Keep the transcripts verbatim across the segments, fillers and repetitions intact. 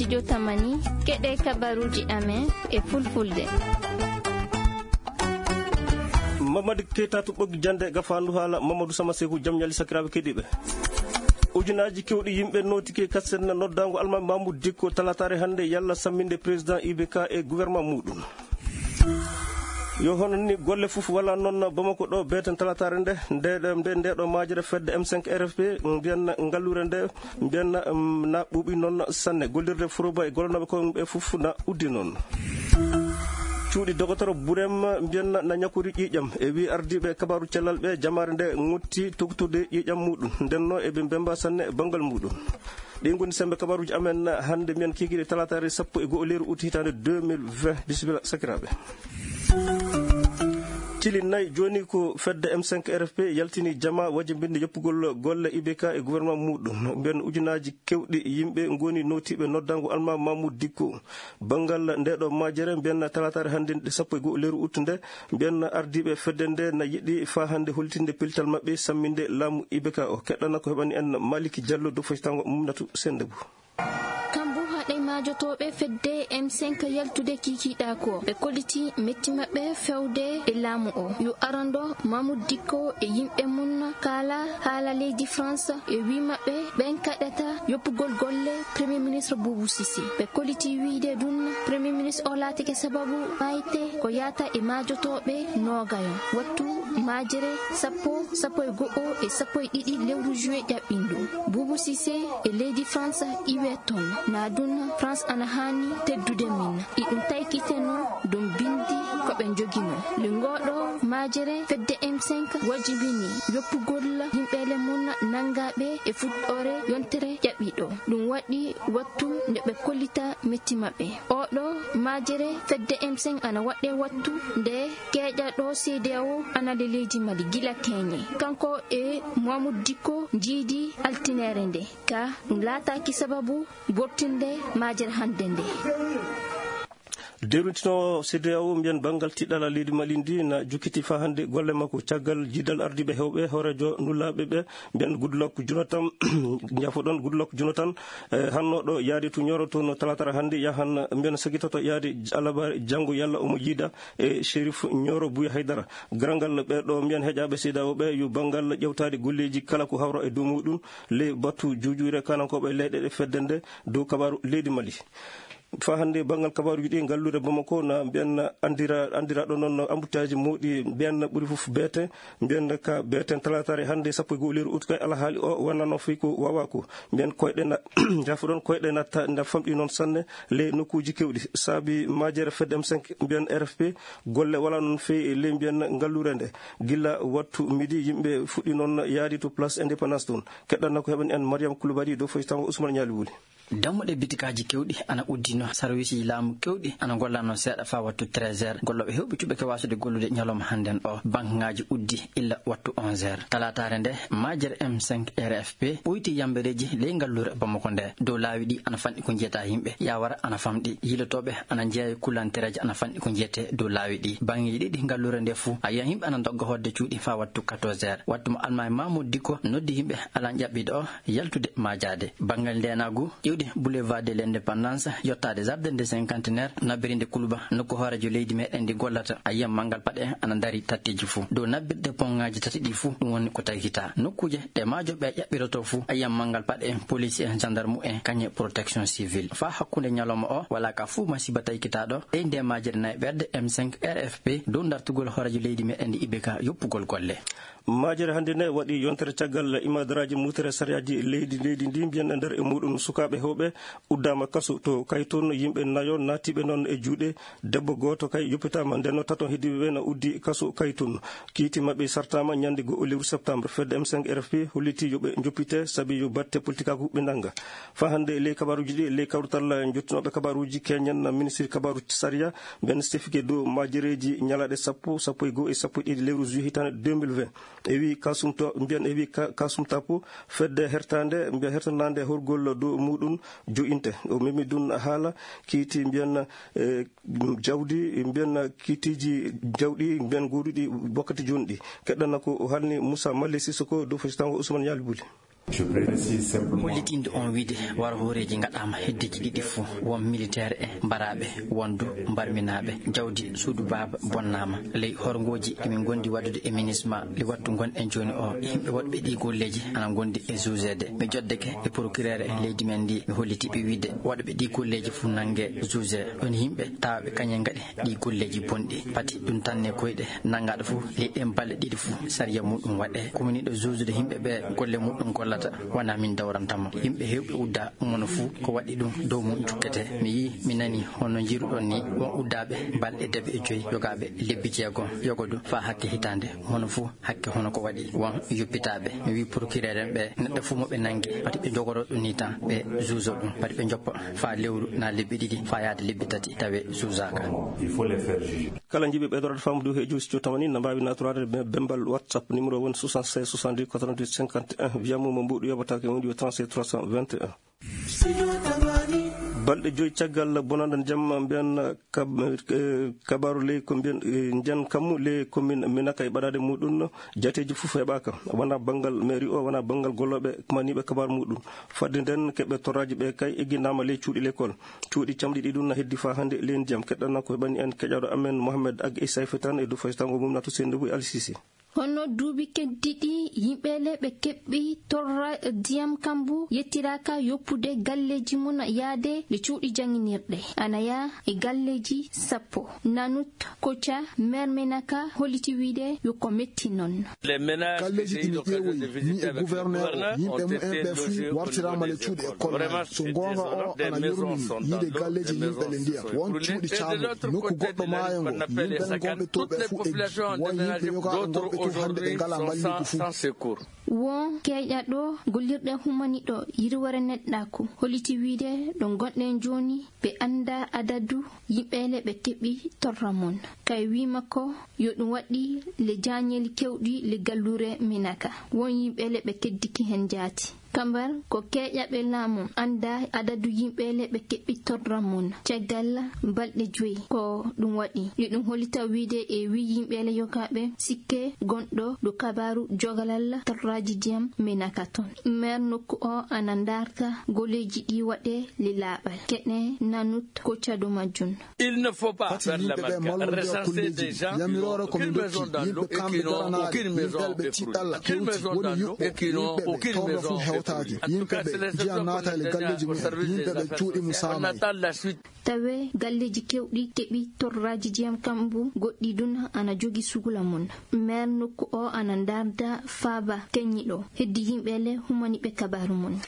Jotamani, keɗe kabaruuji amen e fulfulde. Mamadou Keita to ɓoggi jannde gafaandu haala Mamadou Sama Seku, jam ñali sakiraaɓe keɗiiɓe. Ujunaaji kewɗi yimɓe nootike kasen noddaango Almaami Mamoudou Dicko talataare hannde yalla samminde président I B K e gouvernement muuɗum. Yo hono ni golle fof wala noon Bamako ɗo beeten talataare nde, nde, nde, nde ɗo maajere fedde M cinq R F P, mbiyanna ngalluure nde, mbiyanna, mm, na ɓuuɓi noon sanne. Gollirde Foroba e gollanooɓe koye mum ɓe fof na uddi noon. Cuuɗi dogotoro Burem mbiyanna na ñakori ƴiiƴam. E wi ardiiɓe kabaaru cellal ɓe, jamaare nde ŋotti toktude ƴiiƴam muɗum. Ndenno eɓe mbemba sanne banngal muɗum. Ɗi ngoni sembe kabaruuji amen hannde, mbiyen kiikiiɗe talataare sappo e go'o lewru ut hitaande deux mille vingt. Bisimilla sakiraaɓe. Cili nayi jooni ko fedde M cinq R F P yaltini jama wajibinde yoppugol golle I B K e gouvernement muɗum. Mbiyen ujunaaji kewɗi yimɓe ngoni nootiiɓe noddango Almaami Mamoudou Dicko. Banngal nde ɗo majere, mbiyen talataare hannde nde sappo e go'o lewru ut nde, mbiyen ardiiɓe fedde nde na yiɗi faa hannde hollitinde pellital maɓɓe samminde laamu I B K o. Keɗɗana ko heɓani en Maliki Diallo dow faytango Mumnatu Sendebou. Kambu haɗay maajotooɓe fedde M cinq yaltude kiikiiɗa ko. Ɓe kolliti metti maɓɓe fewde e laamu o. Yo arando Mamoudou Dicko e yimɓe mum kaala haala leydi France e wi maɓɓe ɓen kaɗata yoppugol golle Premier Ministre Boubou Cissé. Ɓe kolliti wiide ɗum Premier Ministre o laatike sababu mayte ko yaata e maajotooɓe noogayo. Wattu majere sappo, sappo e go'o e sappo e ɗiɗi lewru juillet ƴaɓɓindu. Boubou Cissé e leydi France iwe toon. Na ɗum France ana haani teddude min. Iɗum taykiteno ɗum bindi ko ɓe njogino. Le ngoɗo majere fedde M cinq wajibini yoppugol yimɓeele mum nangaaɓe e fuɗɗoore yontere ƴaɓɓiɗo. Ɗum waɗi wattu nde ɓe kollita metti maɓɓe. Oɗo majere fedde M cinq ana waɗɗe wattu nde keeƴa ɗo C D A O ana le leydi Mali gila keñe. Kanko e Mamoudou Dicko njiidi altinere nde. Ka ɗum laataaki sababu bortinde majere hannde nde. Derwintino C D A O, mbiyen banngal tiɗɗala leydi Mali ndi na jukkiti faa hannde golle makko. Caggal jiidal ardiiɓe heewɓe hooreejo nulaaɓe ɓe, mbiyen Goodluck Jonathan, njafoɗon Goodluck Jonathan, eh, hanno ɗo yaadi to Nioro to no talaatara hannde yahan, mbiyen sagitoto yaadi alabaare janngo yalla omo jiida e Chérif Nioro Bouya Haydara. Garal ngal ɓe ɗo mbiyen heƴaaɓe C D A O ɓe yo banngal ƴewtaade golleeji kala ko hawra e dow muɗum ley batu juujuure kanankooɓe leyɗe ɗe fedde nde dow kabaaru leydi Mali. Faa hannde banngal kabaaruuji ɗi, ngalluure Bamako na mbiyan anndira-, anndiraaɗo noon embouteillage mawɗi, mbiyan ɓuri fof beete, mbiyan ka beeten talaataare hannde sappo e go'o lewru ut kay alhaali o wonano fii ko waawaa ko. Mbiyan koyɗe na, njafuɗon koyɗe na ta-, na famɗi noon sanne ley nokkuuji keewɗi. Saabi majere fedde M cinq mbiyan R F P, golle wala noon feewi ley mbiyan ngalluure nde. Gilla wattu midi yimɓe fuɗɗi noon yaadi to Place Indépendance toon. Keɗɗan na ko heɓani en Mariam Koulibaly dow faytango Ousmane Ñaali Wuli. Dammuɗe bitikaaji kewɗi ana uddino, sarwiisiji laamu kewɗi ana ngollano seeɗa faa wattu treize heures. Gollooɓe hewɓe cuɓɓe ke waasude gollude ñalawma hannden o, bankaŋaaji uddi illa wattu onze heures. Talaataare nde, majere M cinq R F P ɓoyti yambereeji ley ngalluure Bamako nde. Dow laawi ɗi ana fanɗi ko njiyata yimɓe, yawara ana famɗi, yilotooɓe ana njeeya e kulantereeji ana fanɗi ko njiyetee dow laawi ɗi. Baŋŋeeji ɗiɗi ngalluure nde fuu, a yiyan yimɓe ana ndogga hoɗde cuuɗi faa wattu quatorze heures. Wattu mo Almaami Mamoudou Dicko noddi yimɓe alan ƴaɓɓiiɗo o, yaltude maajaade. Banngal ndeenaagu, iwde Boulevard de l'Indépendance, yottaade Jardin de Cinquantenaire, nabbirinde Kuluba, nokku hooreejo leydi meɗen ndi gollata, a yiyan manngal paɗe en ana ndarii tatteeji fuu. Dow nabbirde ponŋaaji tati ɗi fuu, ɗum woni ko tagita. Nokkuuje ɗe maajooɓe ƴaɓɓirotoo fuu, a yiyan manngal paɗe en, police en, gendarme en, kañe protection civile. Faa hakkunde ñalawma o, walaa ka fuu masiiba taykitaaɗo, ɓeynde maajere nayi ɓerde M cinq R F P, dow dartugol hooreejo leydi meɗen ndi I B K yoppugol golle. Majere hannde ne waɗi yontere caggal imadaraaji mutere sariyaaji leydi, leydi ndi, mbiyen e nder e muɗum sukaaɓe heewɓe uddaama kaso to Kaytoon, yimɓe nayo naatiiɓe noon e juuɗe debbo gooto kay yoppitaama. Nden no taton heddiiɓe ɓe na uddi kaso Kaytoon. Kiiti maɓɓe sartaama ñande go'o lewru septembre. Fedde M cinq R F P holliti yo ɓe njoppite sabi yo batte politikaaku ɓe nannga. Faa hannde ley kabaaruuji ɗi, ley kawrital jottinooɓe kabaaruuji keñen na ministiri kabaaru sariya, mbiyen sefike dow majereeji ñalaaɗe sappo, sappo e go'o e sappo e ɗiɗi lewru juillet hitaande deux mille vingt. E wi Kasum to, mbiyen e wi Ka-, Kasum Tapo, fedde hertande, mbiyen hertanande horgol dow muɗum jo'inte. O memi ɗum haala kiiti mbiyen, eh, jawdi, mbiyen kiitiji jawɗi, mbiyen goɗuɗi wakkati jooni ɗi. Keɗɗana ko o halni Moussa Mali Sissoko dow fasitango Ousmane Yali Buli. Je précise simplement. Hollitinde on wiide wara hooreeji ngaɗaama heddeji ɗiɗi fuu, won militeer en mbaraaɓe, won du mbarminaaɓe. Jawdi suudu baaba bonnaama. Ley horngooji emin ngondi waɗude e minisma, le wattu ngonɗen jooni o, yimɓe waɗɓe ɗi golleeji ana ngondi e jugeede. Mi joddeke e procureur e leydi men ndi, mi holliti ɓe wiide waɗɓe ɗi golleeji fuu nannge juge. Ɗon yimɓe tawaɓe kañen ngaɗi ɗi golleeji bonɗi. Pati ɗum tanne koyɗe nanngaɗo fuu, ley ɗen balɗe ɗiɗi fuu, sariya muɗum waɗe. Kuminiɗo juujude yimɓe ɓe golle muɗum gollata, wona min dawrantamo. Yimɓe heewɓe udda, mono fuu ko waɗi ɗum dow mum jukkete. Mi yii, mi nani hono njiruɗon ni, won uddaaɓe balɗe debe e joyi, yogaaɓe lebbi jeegom, yogo du faa hakke hitaande, mono fuu hakke hono ko waɗi won yoppitaaɓe. Mi wii procureur en ɓe, neɗɗo fuu mo ɓe nanngi, pati ɓe njogoro ɗum ni tan, ɓe juujo ɗum, pati ɓe njoppa faa lewru naa lebbi ɗiɗi, faa yaade lebbi tati, tawe juujaaka. Il faut les faire juger. Kala njiɗi ɓeydorade faamude he juuji tamani, na mbaawi naatoraade be-, bembal WhatsApp numéro woni soixante-seize soixante-dix quatre-vingt-huit cinquante et un. Wiya mo mo mbuuɗu yoɓataake woni yo trente-sept trois cent vingt et un. Balɗe joyi caggal bonanda jamma mbiyan kab-, eh, kabaru ley ko mbiyan, eh, njan kammu ley commune Minaka e ɓadaade muɗum jateeji fof heɓaaka. Wona banngal mairie o, wona banngal gollooɓe maniiɓe kabaru muɗum. Fadde nden keɓe torraaji ɓe kay eggindaama ley cuuɗi l'école. Cuuɗi camɗi ɗi ɗum na heddi faa hannde ley ndiyam. Keɗɗana ko heɓani en keƴaɗo amen Mohamed Ag e Sayfe tan e dow faytango mum na to Sendou e Al Sisi. Hono duuɓi keddiɗi, yimɓe le ɓe keɓɓi torra ndiyam kambu yettiraaka yoppude galleeji mum yaade le cuuɗi jannginirɗe. Ana yaa e galleeji sappo. Nanut Koca, maire Menaka, holliti wiide yo ko metti non. Galleeji ɗi mi ƴeewoyi, mi e gouverneur o, yimɓe mum en ɓe fuu wartiraama le cuuɗi école. So goonga o ana yurmini yiide galleeji yimɓe le ndiyam. Won cuuɗi caamɗi, nokku goɗɗo maayo ngo, yimɓe gonɓe to ɓe fuu eggi. Won yimɓe yogaaɓe gonɓe to hannde ɓe ngalaa mballigu fuu. Won keƴaɗo gollirɗe humaniɗo yirwere neɗɗaaku, holliti wiide ɗo gonɗen jooni, ɓe anndaa adadu yimɓe le ɓe keɓi torra mon. Kay wii makko yo ɗum waɗi le jaañeeli kewɗi le galluure Minaka. Won yimɓe le ɓe keddiki hen jaati. Kambar ko keƴaɓe laamu anndaa adadu yimɓe le ɓe keɓi torra mon. Caggal balɗe joyi ko ɗum waɗi. Yo ɗum hollita wiide e wii yimɓe le yogaaɓe sikke gonɗo ɗo kabaaru jogalal torraaji ndiyam Minaka ton. Maire nokku o ana ndaarta golleeji ɗi waɗe le laaɓal. Keɗe Nanut Koca dow majjum. Pati yimɓe ɓe mallondira kolleeji ɗi. Yamiroore ko min ndokki yimɓe kamɓe daranaade, yimɓe ɓe tiɗɗalla hewti, woni yuɓɓo, yimɓe ɓe tawɓe fof hewtaaki, yimɓe ɓe ndiyam naata e galleeji mumen, yimɓe ɓe cuuɗi mum saamaay. Tawe galleeji kewɗi keɓi torraaji ndiyam kambu, goɗɗi ɗun ana jogi sugula mum. Maire nokku o ana ndaarda faaba keñiɗo, heddi yimɓe le humani ɓe kabaaru mum.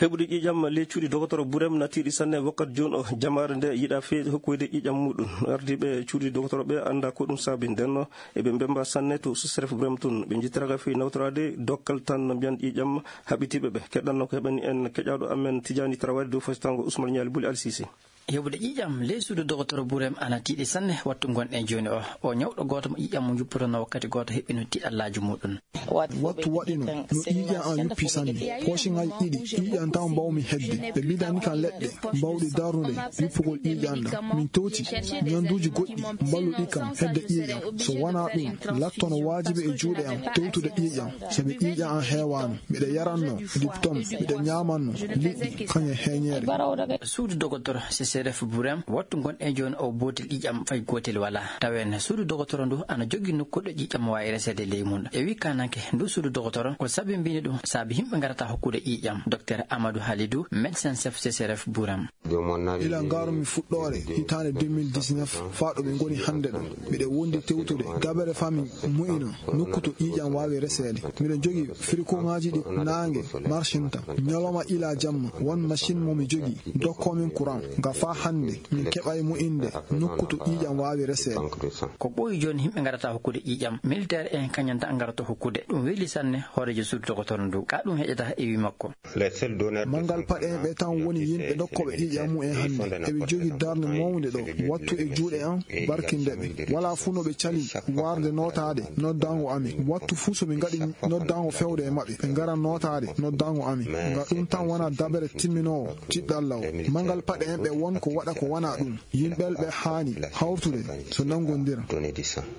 Heɓude ƴiiƴam ley cuuɗi dogotoro Burem natiiɗi sanne wakkati jooni o. Jamaare nde yiɗa feewi hokkoyde ƴiiƴam muɗum. Ardiiɓe cuuɗi dogotoro ɓe annda ko ɗum saabi. Ndenno eɓe mbemba sanne to sous-préfet Burem tun. Ɓe njittiraaka feewi nawtoraade dokkal tan no mbiyan ƴiiƴam haɓitiiɓe ɓe. Keɗɗanno ko heɓani en keƴaaɗo amen Tijaani Tarawari dow fasitango Usman Ñaali Buli Alsisi. Heɓude ƴiiƴam ley suudu dogotoro Burem ana tiiɗi sanne wattu ngonɗen jooni o. O ñawɗo gooto mo ƴiiƴam mo juppotono wakkati gooto heɓino tiiɗallaaji muɗum. Wattu waɗino no ƴiiƴam an yuppi sanne. Poosiŋaaji ɗiɗi ƴiiƴam taw mbawmi hedde. Ɓe mbidani kam leɗɗe bawɗe darnude yuppugol ƴiiƴam ɗam. Min towti ñanduuji goɗɗi mballuɗi kam hedde ƴiiƴam. So wonaa ɗum, lattono waajibi e juuɗe am towtude ƴiiƴam, sabi ƴiiƴam am heewaano. Miɗo yaranno diptom, miɗo ñaamanno liɗɗi kañum e heeñeere. Suudu dogotoro C C R F Burem, wattu ngonɗen jooni o bootel ƴiiƴam fay gootel walaa. Tawen suudu dogotoro ndu ana jogii nokku ɗo ƴiiƴam waawi reseede ley mum. E wii kaananke ndu suudu dogotoro, ko sabi mbini ɗum, saabi yimɓe ngarata hokkude ƴiiƴam. Docteur Amadou Halidou, médecin chef C C R F Burem. Ila ngarumi fuɗɗoore hitaande deux mille dix-neuf faa ɗo ɓe ngoni hannde ɗo, miɗo wondi tewtude dabere faa mi mo'ina nokku to ƴiiƴam waawi reseede. Miɗo jogii firikoŋaaji ɗi naange marsinta, ñalawma ila jamma, won machine mo mi jogii, dokkoo min courant, nga faa hannde min keɓaay mo'inde nokku to ƴiiƴam waawi reseede. Ko ɓooyi jooni yimɓe ngarata hokkude ƴiiƴam, militaire en kañum tan ngarata hokkude. Ɗum weli sanne hooreejo suudu dogotoro ndu. Ka ɗum heƴata e wii makko. Manngal paɗe en ɓe tan woni yimɓe dokkooɓe ƴiiƴam mum en hannde. Eɓe jogii darnde mawnde ɗo, wattu e juuɗe am, barkinde ɓe. Walaa fuu no ɓe cali warde nootaade noddaango amin. Wattu fuu so ɓe ngaɗi noddaango fewde e maɓɓe, ɓe ngara nootaade noddaango amin. Nga ɗum tan wona dabere timminoowo tiɗɗalla o. Manngal paɗe en ɓe won Ko waɗa ko wona ɗum, yimɓe ɓe haani hawtude so nanngondira.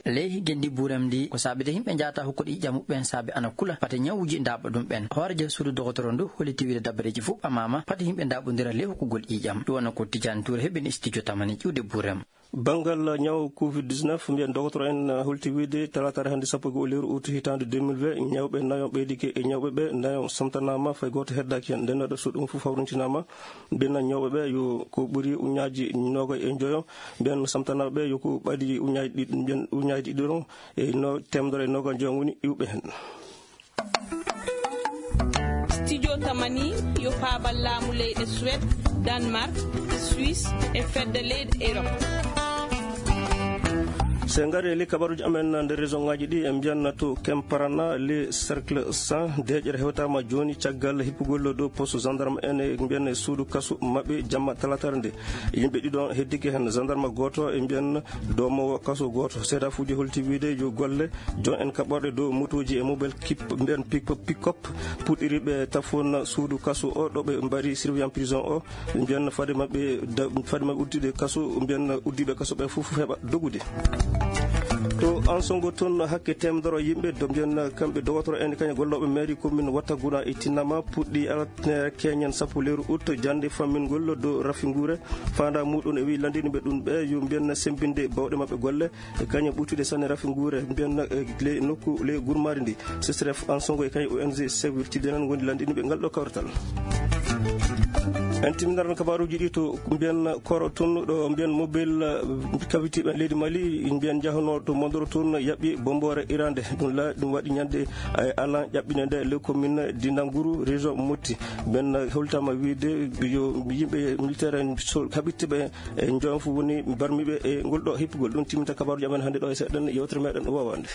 Ley higgendi buuram ndi, ko saabi de yimɓe njaata hokkude ƴiiƴam muɓɓen saabi ana kula, pate ñawuji ndaaɓa ɗum ɓen. Hoorejo suudu dogotoro ndu holliti wiide dabareeji fof ɓamaama, pate yimɓe ndaaɓondira ley hokkugol ƴiiƴam. Ɗum wona ko Tidiane Touré heɓini studio Tamani ƴiwde buuram. Banngal ñaw covid dix-neuf, mbiyen dogotoro en, uh, holti wiide talaataare hannde sappo e go'o lewru ut hitaande deux mille vingt, ñawɓe nayo ɓeydike e ñawɓe ɓe nayo samtanaama, fay gooto heddaaki heen. Nden ɗo so ɗum fof hawrintinaama, mbiyen ñawɓe ɓe yo ko ɓuri uñaaji noogay e njoyo, mbiyen samtanaaɓe ɓe yo ko ɓadi uñaaji ɗiɗi, mbiyen uñaaji ɗiɗi ɗon e no teemedere e noogay e njoyo woni iwɓe heen. Studio Tamani yo faabal laamu leyɗe Suède, Danemark, Suisse e fedde leyɗe Europe. So en ngari e ley kabaruuji amen nder région ŋaaji ɗi, en mbiyan to Kemparana, le Cercle cent, deeƴere hewtaama jooni caggal hippugol dow poste gendarme en e mbiyan e suudu kasu maɓɓe jamma talaataare nde. Yimɓe ɗiɗo heddike heen, gendarme gooto e mbiyan doomoowo kasu gooto. Seedaafuuji holti wiide yo golle jon en kaɓorɗe dow motooji e mobile kip, mbiyen pick-, pick-up, puɗɗiriiɓe tafoon suudu kasu o, ɗo ɓe mbaɗi surveillant prison o, mbiyen fade maɓɓe da-, fade maɓɓe uddiɓe kasu, mbiyen uddiiɓe kasu ɓe fof heɓa dogude. To Ansongo toon, hakke teemedere yimɓe, do mbiyen kamɓe dogotoro en, kañum gollooɓe mairie commune Wattaguna e Tinnama, puɗɗi altine keñen sappo lewru ut, jannde fammingol dow Rafinguure. Faandaa muɗum e wi lanndiniiɓe ɗum ɓe yo mbiyen semmbinde bawɗe maɓɓe golle. E kañum ɓurtude sanne Rafinguure, mbiyen, e, ley nokku, ley gurmaari ndi. C S R F Ansongo e kañum O N G Save Your Children ngondi lanndiniiɓe ngal ɗo kawrital. En timminat kabaaruuji ɗi to mbiyen Koro toon, ɗo mbiyen mobile, eh, kawitiiɓe leydi Mali, mbiyen njahanoo to Mondoro toon, yaɓɓi bomboore iraande. Ɗum la-, ɗum waɗi ñande, eh, alan ƴaɓɓinde nde le commune Dinanguru, région Moti. Mbiyen holtaama wiide yo yimɓe militaire en so-, kaɓittiiɓe e njoon fof woni barmiiɓe e ngol ɗo hippugol. Ɗum timminta kabaaruuji amen hannde ɗo e seeɗa, yewtere meɗen woowaande.